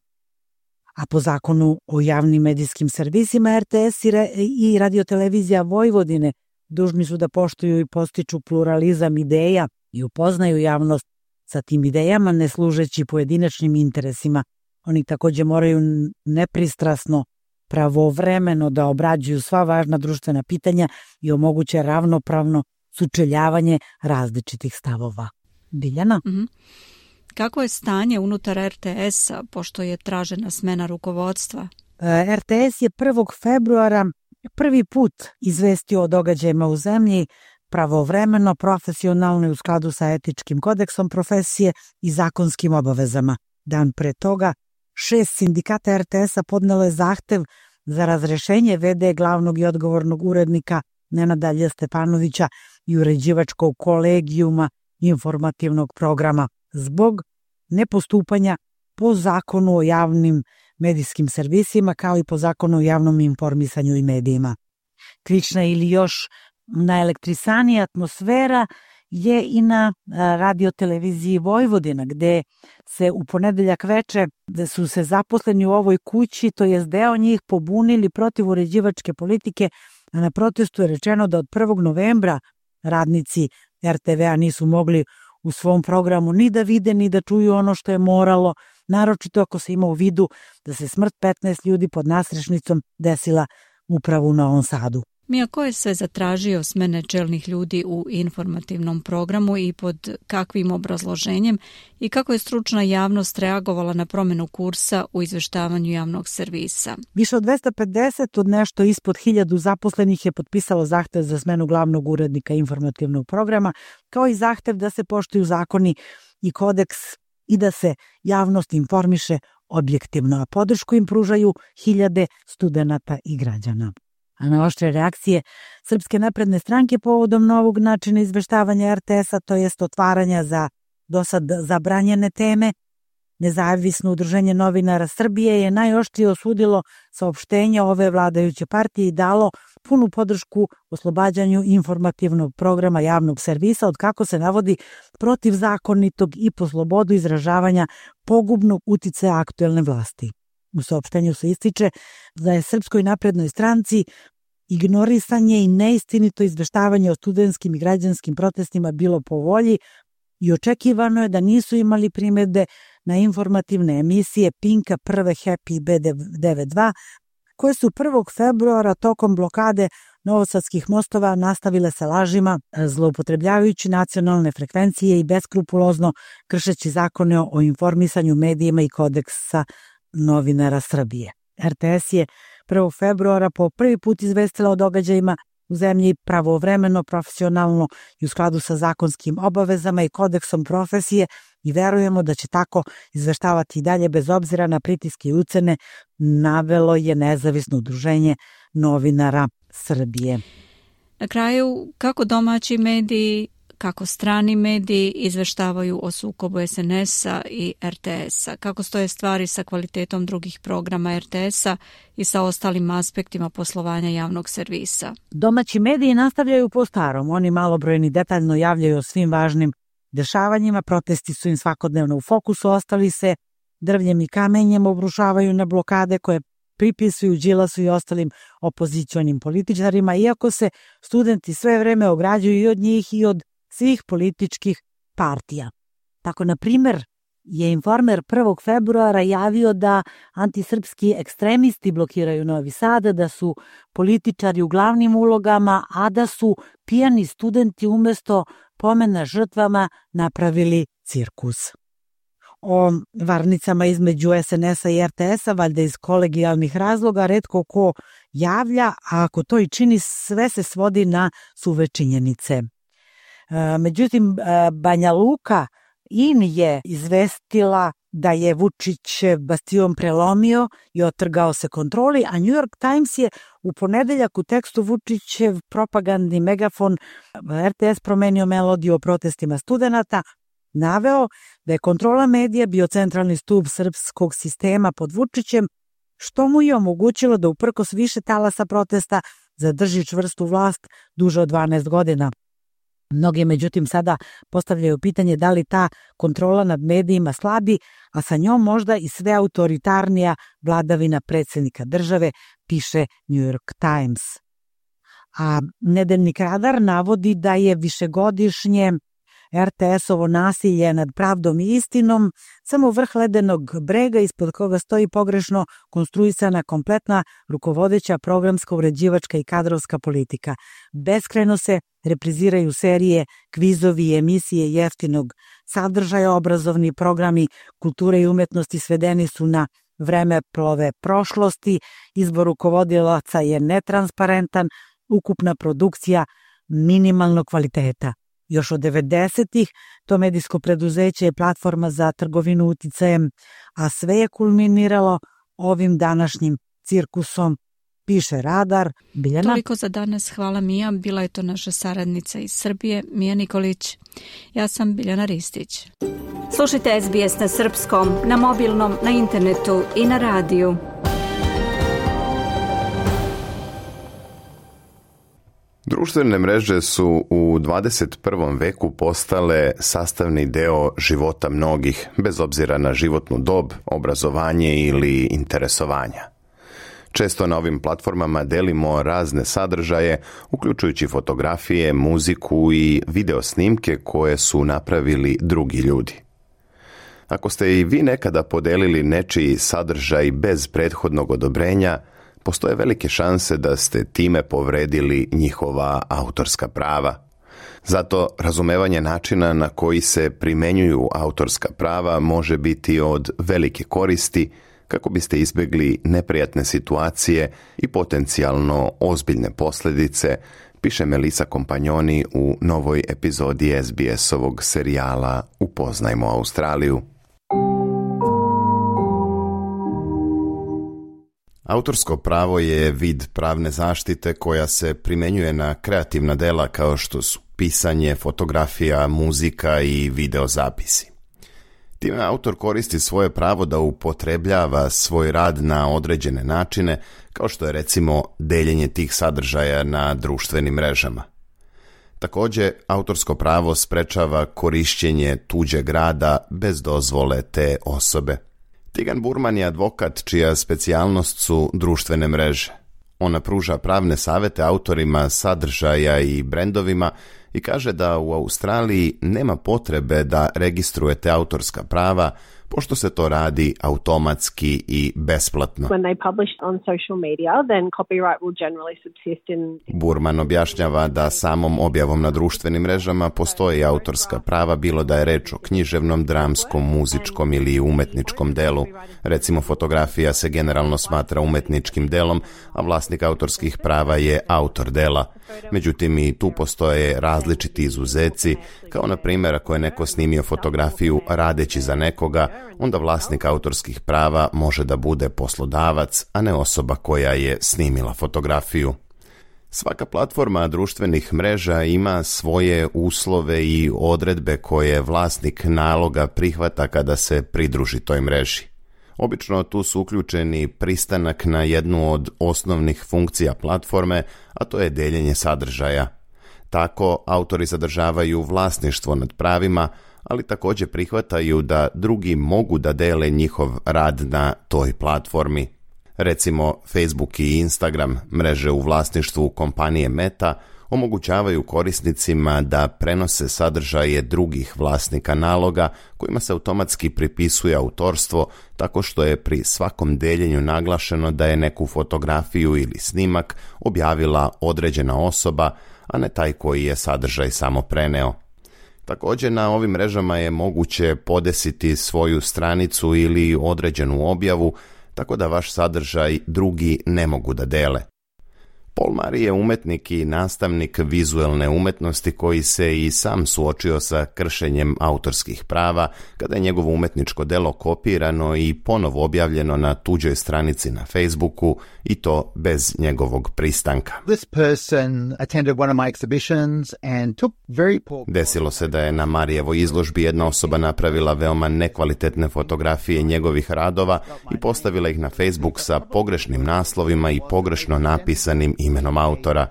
A po zakonu o javnim medijskim servisima RTS i radiotelevizija Vojvodine dužni su da poštuju i postiču pluralizam ideja i upoznaju javnost sa tim idejama ne služeći pojedinačnim interesima. Oni takođe moraju nepristrasno, pravovremeno da obrađuju sva važna društvena pitanja i omoguće ravnopravno sučeljavanje različitih stavova. Biljana? Kako je stanje unutar RTS-a, pošto je tražena smena rukovodstva? RTS je 1. februara prvi put izvestio o događajima u zemlji pravovremeno, profesionalno i u skladu sa etičkim kodeksom profesije i zakonskim obavezama. Dan pre toga 6 sindikata RTS-a podnelo je zahtev za razrešenje v.d. glavnog i odgovornog urednika Nenada Lj. Stepanovića i uređivačkog kolegijuma informativnog programa zbog nepostupanja po zakonu o javnim medijskim servisima kao i po zakonu o javnom informisanju i medijima. Klična ili još naelektrisanija atmosfera je i na radioteleviziji Vojvodina, gde se u ponedeljak veče gde su se zaposleni u ovoj kući, to jest deo njih, pobunili protiv uređivačke politike, a na protestu je rečeno da od 1. novembra radnici RTV-a nisu mogli u svom programu ni da vide, ni da čuju ono što je moralo, naročito ako se ima u vidu da se smrt 15 ljudi pod nasrešnicom desila upravo u Novom Sadu. Mija, ko je sve zatražio smene čelnih ljudi u informativnom programu i pod kakvim obrazloženjem i kako je stručna javnost reagovala na promenu kursa u izveštavanju javnog servisa? Više od 250 od nešto ispod 1000 zaposlenih je potpisalo zahtev za smenu glavnog urednika informativnog programa, kao i zahtev da se poštuju zakoni i kodeks i da se javnost informiše objektivno, a podršku im pružaju hiljade studenata i građana. A na oštre reakcije Srpske napredne stranke povodom novog načina izveštavanja RTS-a, to jest otvaranja za dosad zabranjene teme, Nezavisno udruženje novinara Srbije je najoštrije osudilo saopštenje ove vladajuće partije i dalo punu podršku oslobađanju informativnog programa javnog servisa od, kako se navodi, protivzakonitog i po slobodu izražavanja pogubnog uticaja aktuelne vlasti. U saopštenju se ističe da je Srpskoj naprednoj stranci ignorisanje i neistinito izveštavanje o studentskim i građanskim protestima bilo po volji i očekivano je da nisu imali primedbe na informativne emisije Pinka, Prve, Happy i B92, koje su 1. februara tokom blokade novosadskih mostova nastavile sa lažima, zloupotrebljavajući nacionalne frekvencije i beskrupulozno kršeći zakone o informisanju, medijima i kodeksa novinara Srbije. RTS je 1. februara po prvi put izvestila o događajima u zemlji pravovremeno, profesionalno i u skladu sa zakonskim obavezama i kodeksom profesije i verujemo da će tako izveštavati i dalje bez obzira na pritiske i ucene, navelo je Nezavisno udruženje novinara Srbije. Na kraju, kako domaći mediji, kako strani mediji izveštavaju o sukobu SNS-a i RTS-a? Kako stoje stvari sa kvalitetom drugih programa RTS-a i sa ostalim aspektima poslovanja javnog servisa? Domaći mediji nastavljaju po starom. Oni malobrojni detaljno javljaju o svim važnim dešavanjima. Protesti su im svakodnevno u fokusu. Ostali se drvljem i kamenjem obrušavaju na blokade koje pripisuju Đilasu i ostalim opozicionim političarima, iako se studenti sve vreme ograđuju i od njih i od svih političkih partija. Tako, na primjer, je Informer 1. februara javio da antisrpski ekstremisti blokiraju Novi Sad, da su političari u glavnim ulogama, a da su pijani studenti umesto pomena žrtvama napravili cirkus. o varnicama između SNS-a i RTS-a, valjda iz kolegijalnih razloga, retko ko javlja, a ako to i čini, sve se svodi na suve činjenice. Međutim, Banja Luka IN je izvestila da je Vučić bastion prelomio i otrgao se kontroli, a New York Times je u ponedeljak u tekstu Vučićev propagandni megafon RTS promenio melodiju o protestima studenata, naveo da je kontrola medija bio centralni stub srpskog sistema pod Vučićem, što mu je omogućilo da uprkos više talasa protesta zadrži čvrstu vlast duže od 12 godina. Mnogi, međutim, sada postavljaju pitanje da li ta kontrola nad medijima slabi, a sa njom možda i sve autoritarnija vladavina predsjednika države, piše New York Times. A nedeljnik Radar navodi da je višegodišnje RTS-ovo nasilje nad pravdom i istinom samo vrh ledenog brega ispod koga stoji pogrešno konstruisana kompletna rukovodeća programska, uređivačka i kadrovska politika. Beskrajno se repriziraju serije, kvizovi i emisije jeftinog sadržaja, obrazovni programi kulture i umetnosti svedeni su na vremeplove prošlosti, izbor rukovodilaca je netransparentan, ukupna produkcija minimalnog kvaliteta. Još od 90-ih to medijsko preduzeće je platforma za trgovinu uticajem, a sve je kulminiralo ovim današnjim cirkusom, piše Radar. Biljana? Toliko za danas, hvala Mija. Bila je to naša saradnica iz Srbije, Mija Nikolić. Ja sam Biljana Ristić. Slušajte SBS na srpskom, na mobilnom, na internetu i na radiju. Društvene mreže su u 21. veku postale sastavni deo života mnogih, bez obzira na životnu dob, obrazovanje ili interesovanja. Često na ovim platformama delimo razne sadržaje, uključujući fotografije, muziku i video snimke koje su napravili drugi ljudi. Ako ste i vi nekada podelili nečiji sadržaj bez prethodnog odobrenja, postoje velike šanse da ste time povredili njihova autorska prava. Zato razumevanje načina na koji se primenjuju autorska prava može biti od velike koristi kako biste izbjegli neprijatne situacije i potencijalno ozbiljne posljedice, piše Melissa Kompanjoni u novoj epizodi SBS-ovog serijala Upoznajmo Australiju. Autorsko pravo je vid pravne zaštite koja se primjenjuje na kreativna dela kao što su pisanje, fotografija, muzika i videozapisi. Time autor koristi svoje pravo da upotrebljava svoj rad na određene načine, kao što je recimo deljenje tih sadržaja na društvenim mrežama. Također, autorsko pravo sprečava korišćenje tuđeg rada bez dozvole te osobe. Tigan Burman je advokat čija specijalnost su društvene mreže. Ona pruža pravne savete autorima sadržaja i brendovima i kaže da u Australiji nema potrebe da registrujete autorska prava, pošto se to radi automatski i besplatno. Burman objašnjava da samom objavom na društvenim mrežama postoji autorska prava, bilo da je reč o književnom, dramskom, muzičkom ili umetničkom delu. Recimo, fotografija se generalno smatra umetničkim delom, a vlasnik autorskih prava je autor dela. Međutim, i tu postoje različiti izuzeci, kao na primjer ako je neko snimio fotografiju radeći za nekoga, onda vlasnik autorskih prava može da bude poslodavac, a ne osoba koja je snimila fotografiju. Svaka platforma društvenih mreža ima svoje uslove i odredbe koje vlasnik naloga prihvata kada se pridruži toj mreži. Obično tu su uključeni pristanak na jednu od osnovnih funkcija platforme, a to je deljenje sadržaja. Tako, autori zadržavaju vlasništvo nad pravima, ali također prihvataju da drugi mogu da dele njihov rad na toj platformi. Recimo, Facebook i Instagram, mreže u vlasništvu kompanije Meta, omogućavaju korisnicima da prenose sadržaje drugih vlasnika naloga kojima se automatski pripisuje autorstvo, tako što je pri svakom deljenju naglašeno da je neku fotografiju ili snimak objavila određena osoba, a ne taj koji je sadržaj samo preneo. Također na ovim mrežama je moguće podesiti svoju stranicu ili određenu objavu, tako da vaš sadržaj drugi ne mogu da dele. Paul Murray je umetnik i nastavnik vizuelne umetnosti koji se i sam suočio sa kršenjem autorskih prava kada je njegovo umetničko delo kopirano i ponovo objavljeno na tuđoj stranici na Facebooku i to bez njegovog pristanka. Desilo se da je na Marijevoj izložbi jedna osoba napravila veoma nekvalitetne fotografije njegovih radova i postavila ih na Facebook sa pogrešnim naslovima i pogrešno napisanim imenom autora.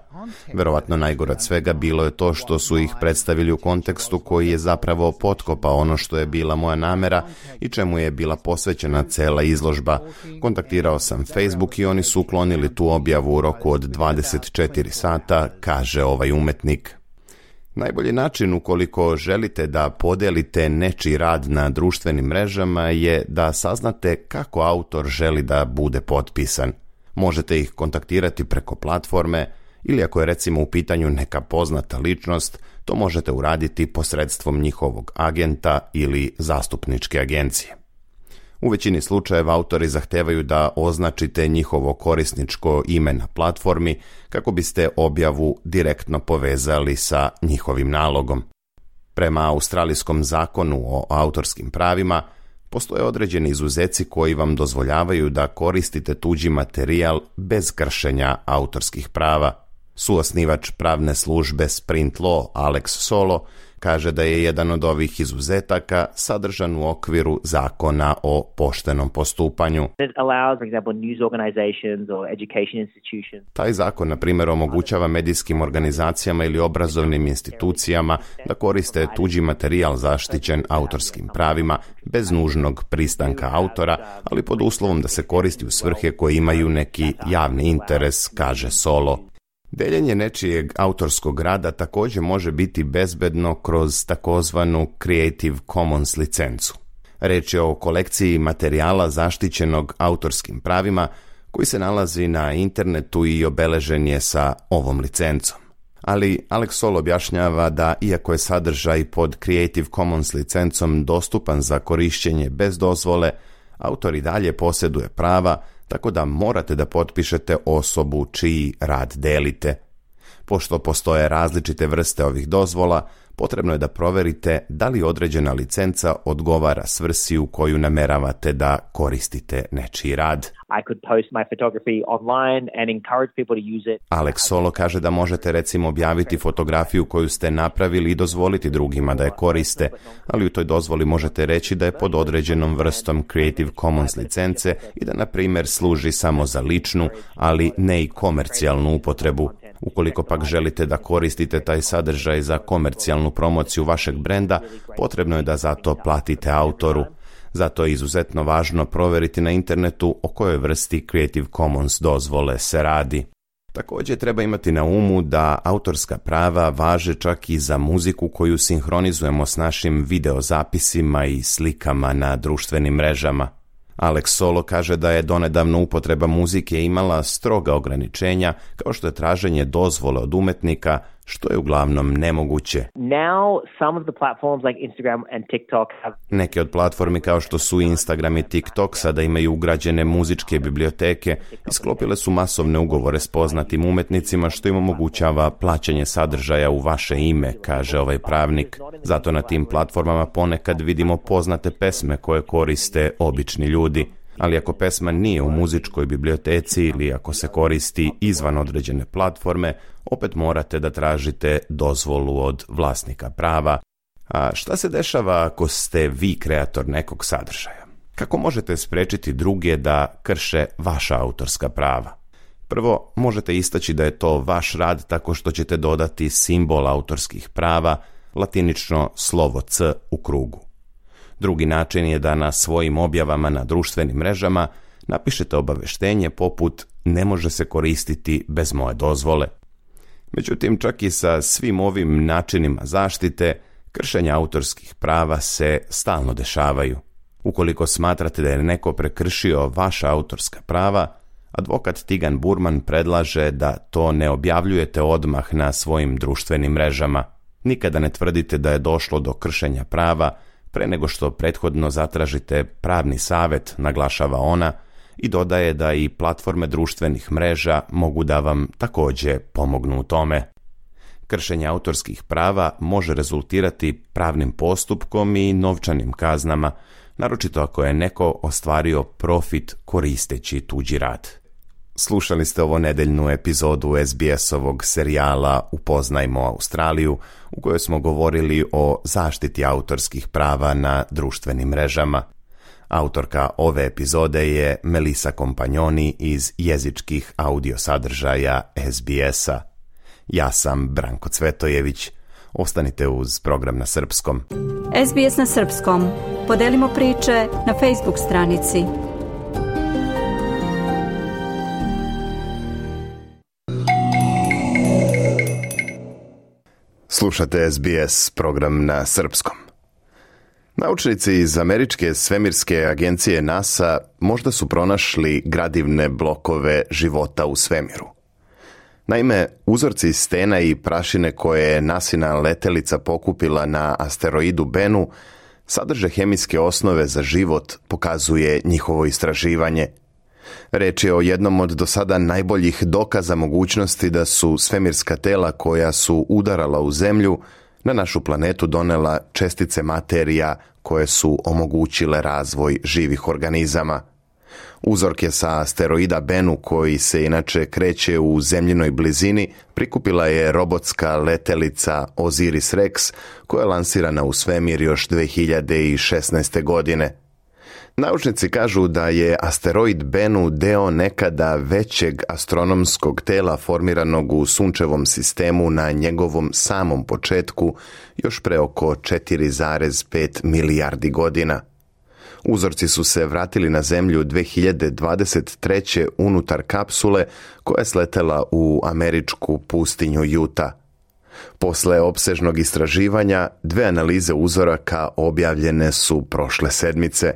Verovatno najgore od svega bilo je to što su ih predstavili u kontekstu koji je zapravo potkopao ono što je bila moja namera i čemu je bila posvećena cela izložba. Kontaktirao sam Facebook i oni su uklonili tu objavu u roku od 24 sata, kaže ovaj umetnik. Najbolji način ukoliko želite da podelite nečiji rad na društvenim mrežama je da saznate kako autor želi da bude potpisan. Možete ih kontaktirati preko platforme ili ako je recimo u pitanju neka poznata ličnost, to možete uraditi posredstvom njihovog agenta ili zastupničke agencije. U većini slučajeva autori zahtevaju da označite njihovo korisničko ime na platformi kako biste objavu direktno povezali sa njihovim nalogom. Prema australijskom zakonu o autorskim pravima, postoje određeni izuzeci koji vam dozvoljavaju da koristite tuđi materijal bez kršenja autorskih prava. Suosnivač pravne službe Sprint Law Alex Solo kaže da je jedan od ovih izuzetaka sadržan u okviru zakona o poštenom postupanju. Taj zakon, na primjer, omogućava medijskim organizacijama ili obrazovnim institucijama da koriste tuđi materijal zaštićen autorskim pravima bez nužnog pristanka autora, ali pod uslovom da se koristi u svrhe koje imaju neki javni interes, kaže Solo. Deljenje nečijeg autorskog rada također može biti bezbedno kroz takozvanu Creative Commons licencu. Reč je o kolekciji materijala zaštićenog autorskim pravima koji se nalazi na internetu i obeležen je sa ovom licencom. Ali Alex Solo objašnjava da iako je sadržaj pod Creative Commons licencom dostupan za korišćenje bez dozvole, autor i dalje posjeduje prava, tako da morate da potpišete osobu čiji rad delite. Pošto postoje različite vrste ovih dozvola, potrebno je da proverite da li određena licenca odgovara svrsi u koju nameravate da koristite nečiji rad. Alex Solo kaže da možete recimo objaviti fotografiju koju ste napravili i dozvoliti drugima da je koriste, ali u toj dozvoli možete reći da je pod određenom vrstom Creative Commons licence i da na primjer služi samo za ličnu, ali ne i komercijalnu upotrebu. Ukoliko pak želite da koristite taj sadržaj za komercijalnu promociju vašeg brenda, potrebno je da za to platite autoru. Zato je izuzetno važno proveriti na internetu o kojoj vrsti Creative Commons dozvole se radi. Također treba imati na umu da autorska prava važe čak i za muziku koju sinhronizujemo s našim videozapisima i slikama na društvenim mrežama. Alex Solo kaže da je donedavno upotreba muzike imala stroga ograničenja, kao što je traženje dozvole od umetnika, što je uglavnom nemoguće. Neke od platformi kao što su Instagram i TikTok sada imaju ugrađene muzičke biblioteke i sklopile su masovne ugovore s poznatim umetnicima, što im omogućava plaćanje sadržaja u vaše ime, kaže ovaj pravnik. Zato na tim platformama ponekad vidimo poznate pesme koje koriste obični ljudi. Ali ako pesma nije u muzičkoj biblioteci ili ako se koristi izvan određene platforme, opet morate da tražite dozvolu od vlasnika prava. A šta se dešava ako ste vi kreator nekog sadržaja? Kako možete spriječiti druge da krše vaša autorska prava? Prvo, možete istaći da je to vaš rad tako što ćete dodati simbol autorskih prava, latinično slovo C u krugu. Drugi način je da na svojim objavama na društvenim mrežama napišete obaveštenje poput ne može se koristiti bez moje dozvole. Međutim, čak i sa svim ovim načinima zaštite, kršenja autorskih prava se stalno dešavaju. Ukoliko smatrate da je neko prekršio vaša autorska prava, advokat Tigan Burman predlaže da to ne objavljujete odmah na svojim društvenim mrežama. Nikada ne tvrdite da je došlo do kršenja prava pre nego što prethodno zatražite pravni savjet, naglašava ona, i dodaje da i platforme društvenih mreža mogu da vam također pomognu u tome. Kršenje autorskih prava može rezultirati pravnim postupkom i novčanim kaznama, naročito ako je neko ostvario profit koristeći tuđi rad. Slušali ste ovo nedeljnu epizodu SBS-ovog serijala Upoznajmo Australiju, u kojoj smo govorili o zaštiti autorskih prava na društvenim mrežama. Autorka ove epizode je Melissa Kompanjoni iz jezičkih audio sadržaja SBS-a. Ja sam Branko Cvetojević. Ostanite uz program na srpskom. SBS na srpskom. Podelimo priče na Facebook stranici. Slušate SBS program na srpskom. Naučnici iz američke svemirske agencije NASA možda su pronašli gradivne blokove života u svemiru. Naime, uzorci stena i prašine koje je NASIna letelica pokupila na asteroidu Bennu sadrže hemijske osnove za život, pokazuje njihovo istraživanje. Reč je o jednom od do sada najboljih dokaza mogućnosti da su svemirska tela koja su udarala u Zemlju na našu planetu donela čestice materija koje su omogućile razvoj živih organizama. Uzorke sa asteroida Bennu, koji se inače kreće u zemljinoj blizini, prikupila je robotska letelica Osiris-Rex, koja je lansirana u svemir još 2016. godine. Naučnici kažu da je asteroid Bennu deo nekada većeg astronomskog tela formiranog u sunčevom sistemu na njegovom samom početku, još pre oko 4,5 milijardi godina. Uzorci su se vratili na Zemlju 2023. unutar kapsule koja je sletela u američku pustinju Utah. Posle opsežnog istraživanja, 2 analize uzoraka objavljene su prošle sedmice.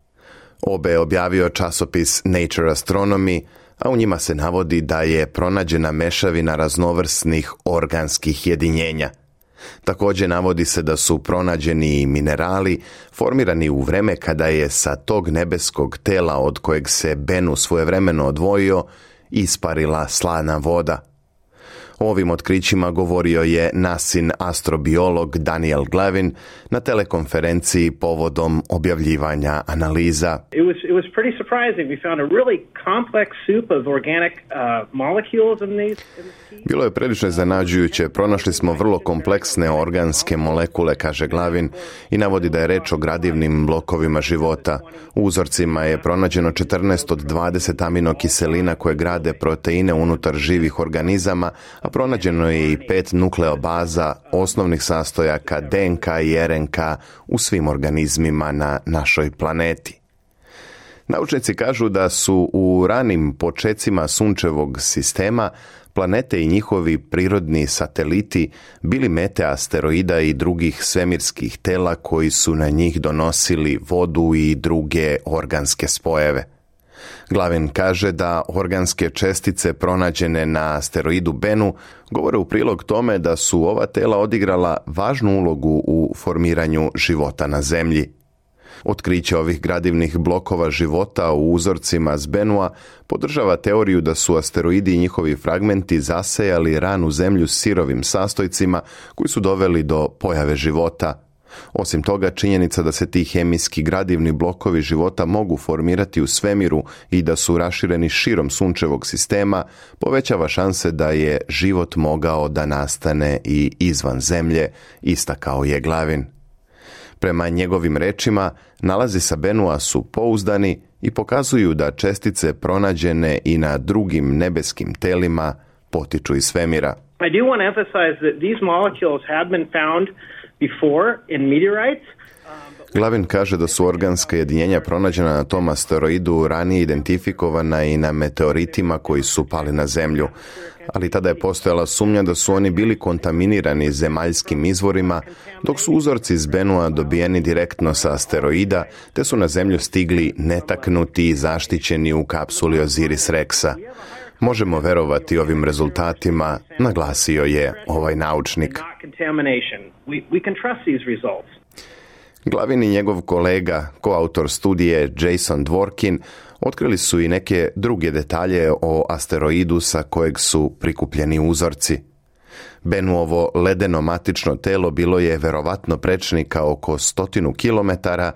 Obe je objavio časopis Nature Astronomy, a u njima se navodi da je pronađena mešavina raznovrsnih organskih jedinjenja. Također navodi se da su pronađeni i minerali formirani u vreme kada je sa tog nebeskog tela od kojeg se Bennu svojevremeno odvojio isparila slana voda. O ovim otkrićima govorio je NASIN astrobiolog Daniel Glavin na telekonferenciji povodom objavljivanja analiza. It was pretty surprising. We found a really complex soup of organic molecules in these. Bilo je prilično iznenađujuće. Pronašli smo vrlo kompleksne organske molekule, kaže Glavin, i navodi da je reč o gradivnim blokovima života. U uzorcima je pronađeno 14 od 20 aminokiselina koje grade proteine unutar živih organizama, a pronađeno je i 5 nukleobaza, osnovnih sastojaka DNK i RNK u svim organizmima na našoj planeti. Naučnici kažu da su u ranim počecima sunčevog sistema planete i njihovi prirodni sateliti bili mete asteroida i drugih svemirskih tela koji su na njih donosili vodu i druge organske spojeve. Glavin kaže da organske čestice pronađene na asteroidu Bennu govore u prilog tome da su ova tela odigrala važnu ulogu u formiranju života na Zemlji. Otkriće ovih gradivnih blokova života u uzorcima s Bennua podržava teoriju da su asteroidi i njihovi fragmenti zasejali ranu Zemlju sirovim sastojcima koji su doveli do pojave života. Osim toga, činjenica da se ti hemijski gradivni blokovi života mogu formirati u svemiru i da su rašireni širom sunčevog sistema povećava šanse da je život mogao da nastane i izvan Zemlje, istakao je Glavin. Prema njegovim rečima, nalazi sa Bennua su pouzdani i pokazuju da čestice pronađene i na drugim nebeskim telima potiču iz svemira. I do want to emphasize that these molecules have been found before in meteorites. Glavin kaže da su organska jedinjenja pronađena na tom asteroidu ranije identifikovana i na meteoritima koji su pali na Zemlju, ali tada je postojala sumnja da su oni bili kontaminirani zemaljskim izvorima, dok su uzorci iz Bennua dobijeni direktno sa asteroida, te su na Zemlju stigli netaknuti i zaštićeni u kapsuli Osiris-Rexa. Možemo verovati ovim rezultatima, naglasio je ovaj naučnik. Glavin i njegov kolega, koautor studije Jason Dworkin, otkrili su i neke druge detalje o asteroidu sa kojeg su prikupljeni uzorci. Benuovo ledeno matično telo bilo je verovatno prečnika oko 100 kilometara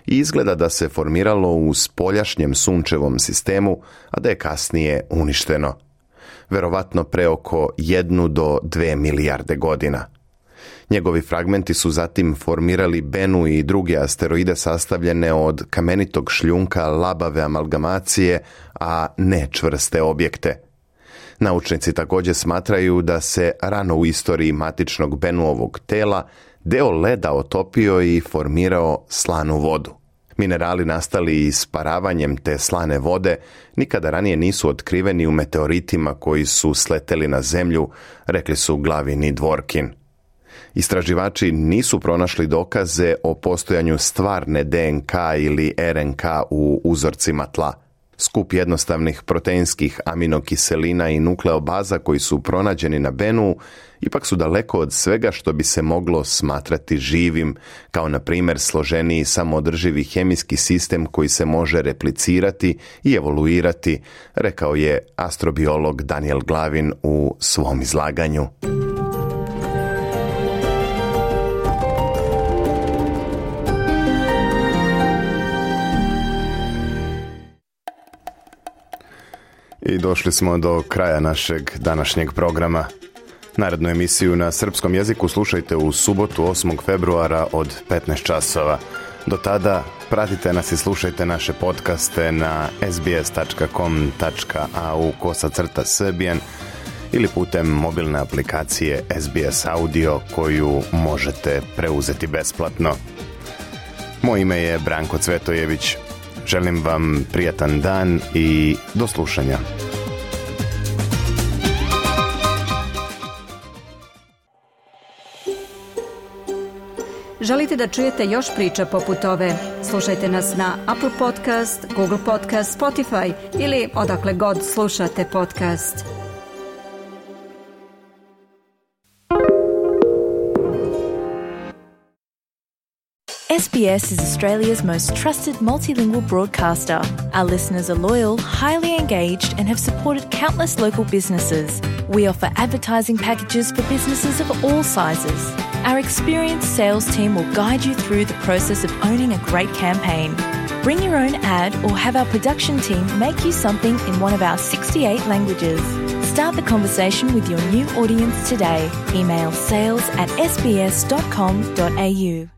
i izgleda da se formiralo u spoljašnjem sunčevom sistemu, a da je kasnije uništeno. Verovatno pre oko 1 do 2 milijarde godina. Njegovi fragmenti su zatim formirali Bennu i druge asteroide sastavljene od kamenitog šljunka labave amalgamacije, a ne čvrste objekte. Naučnici također smatraju da se rano u istoriji matičnog Bennuovog tela deo leda otopio i formirao slanu vodu. Minerali nastali isparavanjem te slane vode nikada ranije nisu otkriveni u meteoritima koji su sleteli na zemlju, rekli su Glavin i Dworkin. Istraživači nisu pronašli dokaze o postojanju stvarne DNK ili RNK u uzorcima tla. Skup jednostavnih proteinskih aminokiselina i nukleobaza koji su pronađeni na Bennu ipak su daleko od svega što bi se moglo smatrati živim, kao na primjer složeniji samoodrživi hemijski sistem koji se može replicirati i evoluirati, rekao je astrobiolog Daniel Glavin u svom izlaganju. I došli smo do kraja našeg današnjeg programa. Narednu emisiju na srpskom jeziku slušajte u subotu 8. februara od 15 časova. Do tada pratite nas i slušajte naše podcaste na sbs.com.au/Serbian ili putem mobilne aplikacije SBS Audio koju možete preuzeti besplatno. Moje ime je Branko Cvetojević. Želim vam prijatan dan i do slušanja. Želite da čujete još priča poput ove? Slušajte nas na Apple Podcast, Google Podcast, Spotify ili odakle god slušate podcast. SBS is Australia's most trusted multilingual broadcaster. Our listeners are loyal, highly engaged, and have supported countless local businesses. We offer advertising packages for businesses of all sizes. Our experienced sales team will guide you through the process of owning a great campaign. Bring your own ad or have our production team make you something in one of our 68 languages. Start the conversation with your new audience today. Email sales@sbs.com.au.